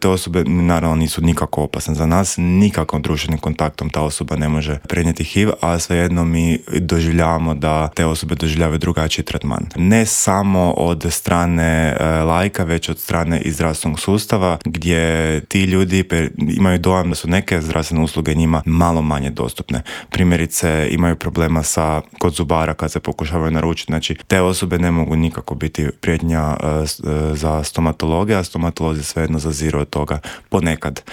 Te osobe naravno nisu nikako opasne za nas, nikakvom društvenim kontaktom ta osoba ne može prenijeti HIV, a svejedno mi doživljavamo da te osobe doživljavaju drugačiji tretman. Ne samo od strane laika, već od strane i zdravstvenog sustava, gdje ti ljudi imaju dojam da su neke zdravstvene usluge njima malo manje dostupne. Primjerice, imaju problema kod zubara kad se pokušavaju naručiti. Znači, te osobe ne mogu nikako biti prijetnja za stomatologe, a stomatolozi svejedno zaziru od toga ponekad.